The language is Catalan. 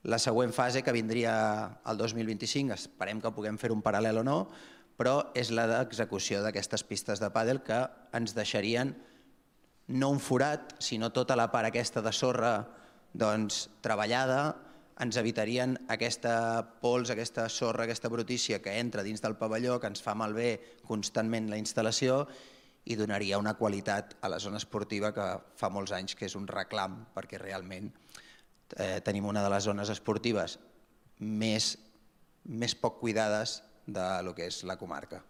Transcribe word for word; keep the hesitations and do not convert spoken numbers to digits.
La següent fase, que vindria el dos mil vint-i-cinc, esperem que puguem fer un paral·lel o no, però és la d'execució d'aquestes pistes de pàdel que ens deixarien no un forat, sinó tota la part aquesta de sorra treballada, ens evitarien aquesta pols, aquesta sorra, aquesta brutícia que entra dins del pavelló, que ens fa malbé constantment la instal·lació i donaria una qualitat a la zona esportiva que fa molts anys que és un reclam, perquè realment tenim una de les zones esportives més poc cuidades del que és la comarca.